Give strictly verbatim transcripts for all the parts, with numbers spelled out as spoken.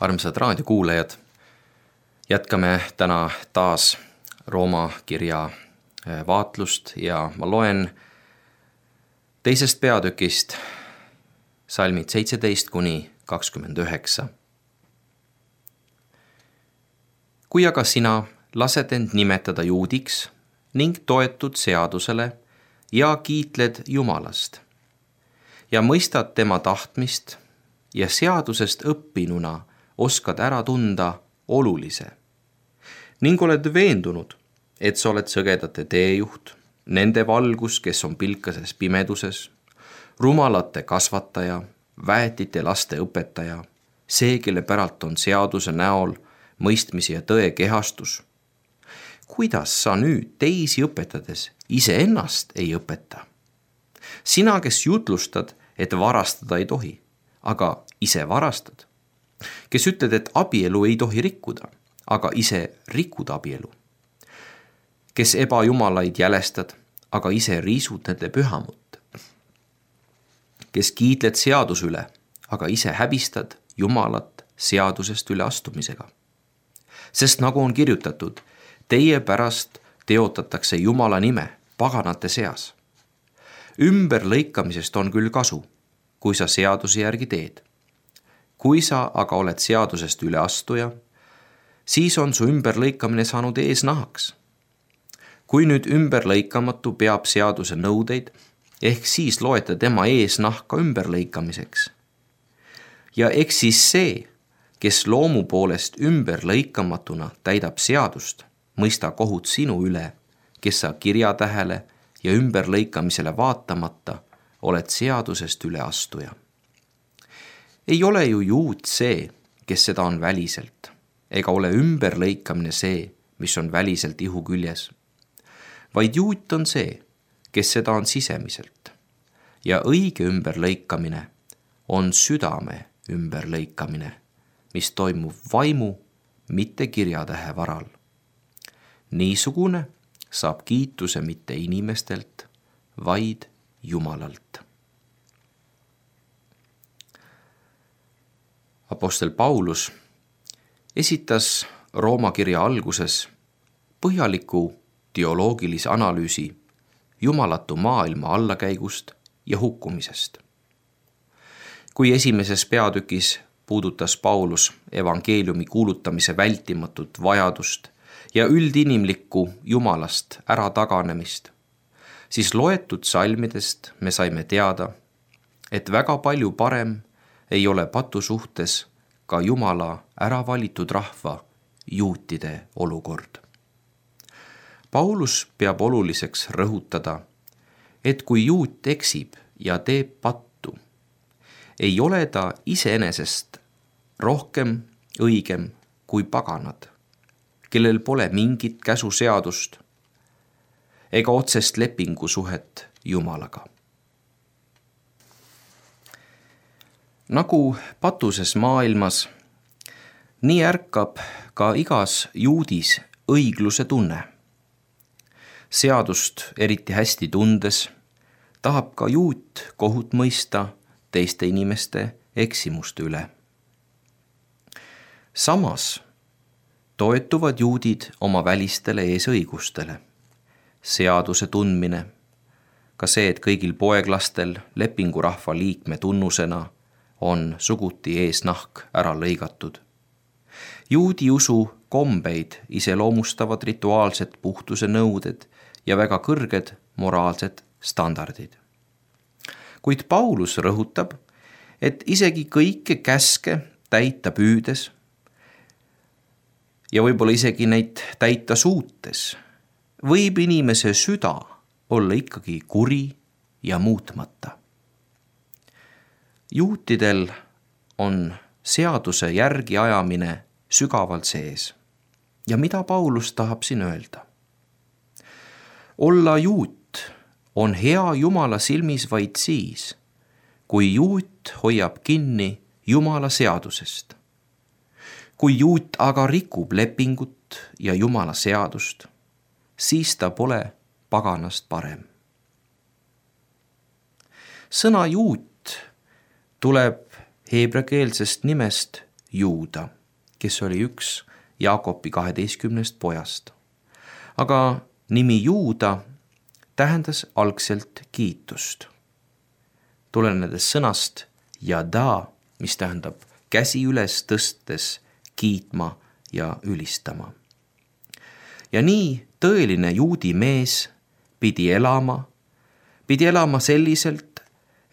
Armsad raadiokuulajad, jätkame täna taas Rooma kirja vaatlust ja ma loen teisest peatükist salmid seitseteist kuni kakskümmend üheksa. Kui aga sina lased end nimetada juudiks ning toetud seadusele ja kiitled Jumalast ja mõistad tema tahtmist ja seadusest õppinuna oskad ära tunda olulise ning oled veendunud, et sa oled sõgedate teejuht, nende valgus, kes on pilkases pimeduses, rumalate kasvataja, väetite laste õpetaja, see, kelle päralt on seaduse näol mõistmise ja tõe kehastus. Kuidas sa nüüd teisi õpetades iseennast ei õpeta? Sina, kes jutlustad, et varastada ei tohi, aga ise varastad. Kes ütled, et abielu ei tohi rikkuda, aga ise rikud abielu. Kes ebajumalaid jälestad, aga ise riisud nende pühamut. Kes kiitled seadus üle, aga ise häbistad Jumalat seadusest üle astumisega. Sest nagu on kirjutatud, teie pärast teotatakse Jumala nime paganate seas. Ümberlõikamisest on küll kasu, kui sa seaduse järgi teed. Kui sa aga oled seadusest üle astuja, siis on su ümberlõikamine saanud eesnahaks. Kui nüüd ümberlõikamatu peab seaduse nõudeid, ehk siis loete tema eesnahka ümberlõikamiseks. Ja eks siis see, kes loomu poolest ümberlõikamatuna täidab seadust, mõista kohut sinu üle, kes sa kirjatähele ja ümberlõikamisele vaatamata oled seadusest üle astuja. Ei ole ju juut see, kes seda on väliselt, ega ole ümberlõikamine see, mis on väliselt ihu küljes, vaid juut on see, kes seda on sisemiselt. Ja õige ümberlõikamine on südame ümberlõikamine, mis toimub vaimu, mitte kirjatähe varal. Niisugune saab kiituse mitte inimestelt, vaid Jumalalt. Apostel Paulus esitas Rooma kirja alguses põhjaliku teoloogilise analüüsi jumalatu maailma allakäigust ja hukkumisest. Kui esimeses peatükis puudutas Paulus evangeeliumi kuulutamise vältimatut vajadust ja üldinimlikku Jumalast ära taganemist, siis loetud salmidest me saime teada, et väga palju parem ei ole patu suhtes ka Jumala ära valitud rahva juutide olukord. Paulus peab oluliseks rõhutada, et kui juut eksib ja teeb pattu, ei ole ta iseenesest rohkem õigem kui paganad, kellel pole mingit käsuseadust ega otsest lepingusuhet Jumalaga. Nagu patuses maailmas, nii ärkab ka igas juudis õigluse tunne. Seadust eriti hästi tundes tahab ka juut kohut mõista teiste inimeste eksimuste üle. Samas toetuvad juudid oma välistele eesõigustele. Seaduse tundmine, ka see, et kõigil poeglastel lepingurahva liikme tunnusena on suguti eesnahk ära lõigatud. Juudi usu kombeid iseloomustavad rituaalsed puhtuse nõuded ja väga kõrged moraalsed standardid. Kuid Paulus rõhutab, et isegi kõike käske täita püüdes ja võib-olla isegi neid täita suutes, võib inimese süda olla ikkagi kuri ja muutmata. Juutidel on seaduse järgi ajamine sügavalt sees. Ja mida Paulus tahab siin öelda? Olla juut on hea Jumala silmis vaid siis, kui juut hoiab kinni Jumala seadusest. Kui juut aga rikub lepingut ja Jumala seadust, siis ta pole paganast parem. Sõna juut tuleb heebreakeelsest nimest Juuda, kes oli üks Jaakobi kaheteistkümnest pojast. Aga nimi Juuda tähendas algselt kiitust, tulenedes sõnast jada, mis tähendab käsi üles tõstes kiitma ja ülistama. Ja nii tõeline juudi mees pidi elama, pidi elama selliselt,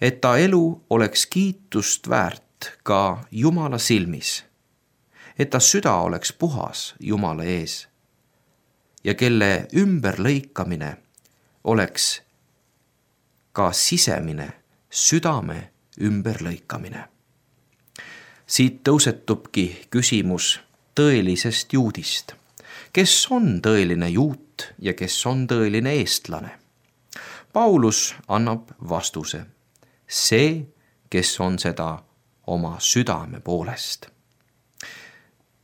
et ta elu oleks kiitust väärt ka Jumala silmis, et ta süda oleks puhas Jumala ees ja kelle ümberlõikamine oleks ka sisemine südame ümberlõikamine. Siit tõusetubki küsimus tõelisest juudist. Kes on tõeline juut ja kes on tõeline eestlane? Paulus annab vastuse. See, kes on seda oma südame poolest.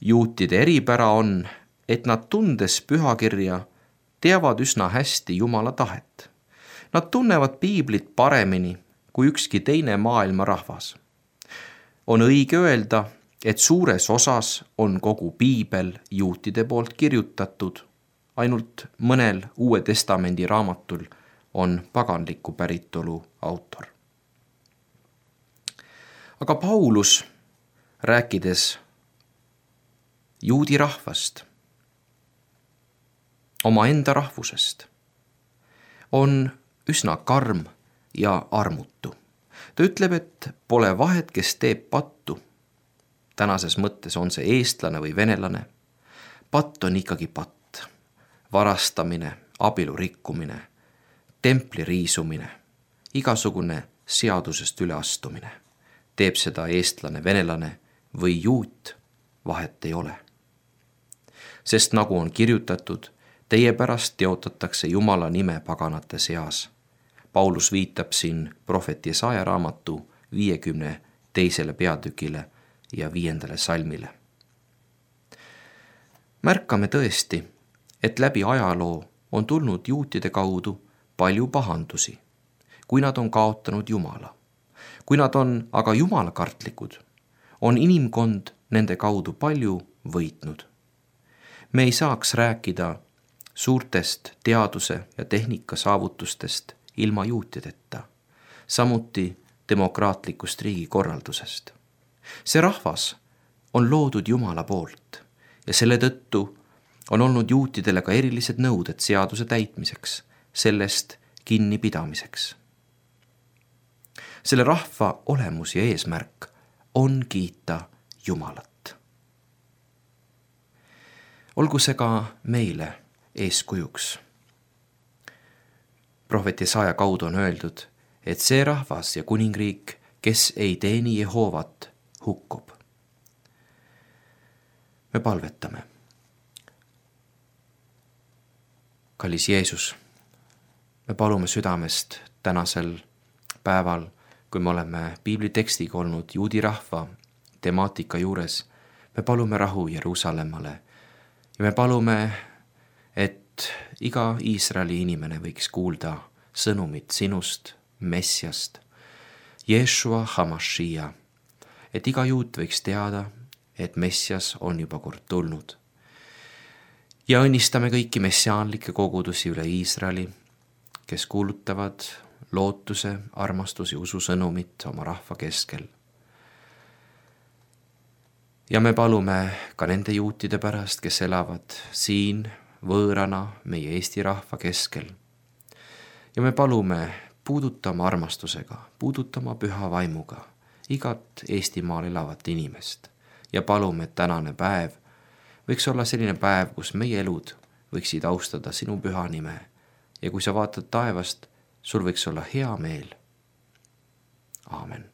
Juutide eripära on, et nad tundes pühakirja teavad üsna hästi Jumala tahet. Nad tunnevad piiblit paremini kui ükski teine maailma rahvas. On õige öelda, et suures osas on kogu piibel juutide poolt kirjutatud, ainult mõnel Uue Testamendi raamatul on paganliku päritolu autor. Aga Paulus, rääkides juudi rahvast, oma enda rahvusest, on üsna karm ja armutu. Ta ütleb, et pole vahet, kes teeb pattu. Tänases mõttes on see eestlane või venelane. Patt on ikkagi patt. Varastamine, abielu rikkumine, templi riisumine, igasugune seadusest üleastumine. Teeb seda eestlane, venelane või juut, vahet ei ole. Sest nagu on kirjutatud, teie pärast teotatakse Jumala nime paganate seas. Paulus viitab siin prohvet Jesaja raamatu viiekümne teisele peatükile ja viiendale salmile. Märkame tõesti, et läbi ajaloo on tulnud juutide kaudu palju pahandusi, kui nad on kaotanud Jumala. Kui nad on aga jumalakartlikud, on inimkond nende kaudu palju võitnud. Me ei saaks rääkida suurtest teaduse ja tehnika saavutustest ilma juutideta, samuti demokraatlikust riigikorraldusest. See rahvas on loodud Jumala poolt ja selle tõttu on olnud juutidele ka erilised nõuded seaduse täitmiseks, sellest kinnipidamiseks. Selle rahva olemus ja eesmärk on kiita Jumalat. Olgu see ka meile eeskujuks. Prohvet Jesaja kaudu on öeldud, et see rahvas ja kuningriik, kes ei teeni Jehovat, hukkub. Me palvetame. Kallis Jeesus, me palume südamest tänasel päeval, kui me oleme piiblitekstiga olnud juudi rahva temaatika juures, me palume rahu Jeruusalemmale ja me palume, et iga Iisraeli inimene võiks kuulda sõnumit sinust, Messiast, Jeshua Hamashia, et iga juut võiks teada, et Messias on juba kord tulnud. Ja õnnistame kõiki messiaanlikke kogudusi üle Iisraeli, kes kuulutavad lootuse, armastus ja usu sõnumit oma rahva keskel. Ja me palume ka nende juutide pärast, kes elavad siin võõrana meie Eesti rahva keskel. Ja me palume puudutama armastusega, puudutama püha vaimuga igat Eestimaal elavat inimest ja palume, et tänane päev võiks olla selline päev, kus meie elud võiksid austada sinu püha nime ja kui sa vaatad taevast, sul võiks olla hea meel. Aamen.